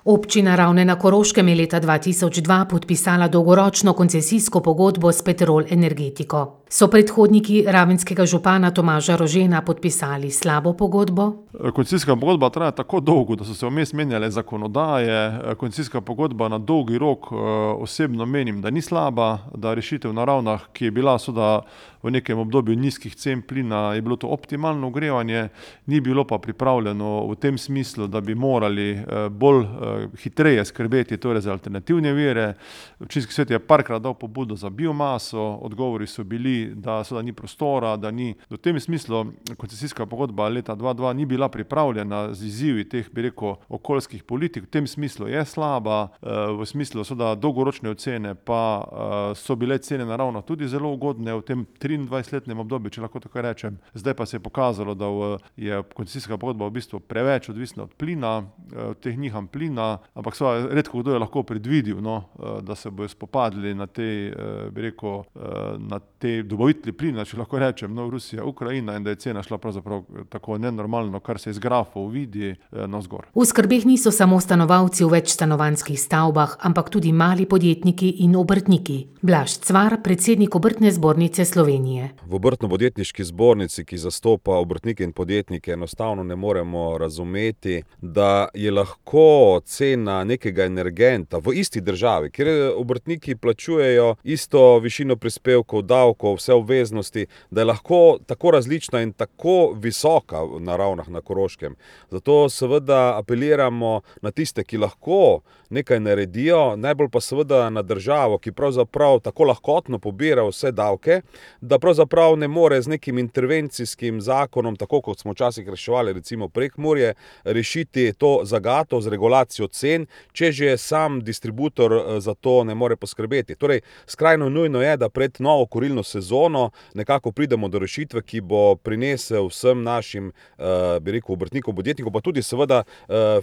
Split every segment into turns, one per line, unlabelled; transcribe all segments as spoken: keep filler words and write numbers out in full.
Občina Ravne na Koroškem je leta dva tisoč dva podpisala dolgoročno koncesijsko pogodbo s Petrol Energetiko. So predhodniki ravenskega župana Tomaža Rožena podpisali slabo pogodbo?
Koncesijska pogodba traja tako dolgo, da so se vmes menjale zakonodaje. Koncesijska pogodba na dolgi rok osebno menim, da ni slaba, da rešitev na Ravnah, ki je bila soda v nekem obdobju nizkih cen plina, je bilo to optimalno ogrevanje, ni bilo pa pripravljeno v tem smislu, da bi morali bolj hitreje skrbeti torej za alternativne vire. Občinski svet je parkrat dal pobudo za biomaso, odgovori so bili, da soda ni prostora, da ni. V tem smislu koncesijska pogodba leta dva dva ni bila pripravljena z izzivi teh, bi rekel, okoljskih politik. V tem smislu je slaba, v smislu soda dolgoročne ocene pa so bile cene na Ravnah tudi zelo ugodne v tem triindvajsetletnem obdobju, če lahko tako rečem. Zdaj pa se je pokazalo, da je koncesijska pogodba v bistvu preveč odvisna od plina, teh niham plina, ampak seveda redko kdo je lahko predvidel, no, da se bojo spopadli na te, bi rekel, na te dobavitelji plina, če lahko rečem, no, Rusija, Ukrajina, in da je cena šla pravzaprav tako nenormalno, kar se iz grafov vidi, navzgor.
V skrbeh niso samo stanovalci v večstanovanjskih stavbah, ampak tudi mali podjetniki in obrtniki. Blaž Cvar, predsednik Obrtne zbornice Slovenije.
V Obrtno-podjetniški zbornici, ki zastopa obrtnike in podjetnike, enostavno ne moremo razumeti, da je lahko cena nekega energenta v isti državi, kjer obrtniki plačujejo isto višino prispevkov, davkov, vse obveznosti, da je lahko tako različna in tako visoka na Ravnah na Koroškem. Zato seveda apeliramo na tiste, ki lahko nekaj naredijo, najbolj pa seveda na državo, ki pravzaprav tako lahkotno pobira vse davke, da pravzaprav ne more z nekim intervencijskim zakonom, tako kot smo včasih reševali recimo Prekmurje, rešiti to zagato z regulacijo cen, če že sam distributor za to ne more poskrbeti. Torej, skrajno nujno je, da pred novo kurilno sezono nekako pridemo do rešitve, ki bo prinesel vsem našim, bi rekel, obrtnikom, podjetnikom, pa tudi seveda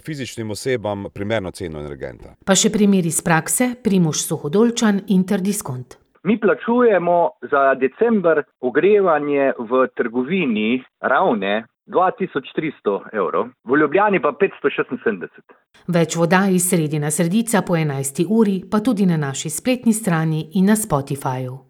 fizičnim osebam primerno ceno energenta.
Pa še primer iz prakse, Primož Suhodolčan, Interdiskont.
Mi plačujemo za december ogrevanje v trgovini Ravne dva tisoč tristo evrov, v Ljubljani pa petsto šestinsedemdeset.
Več voda iz Sredina Sredica po enajsti uri, pa tudi na naši spletni strani in na Spotifyu.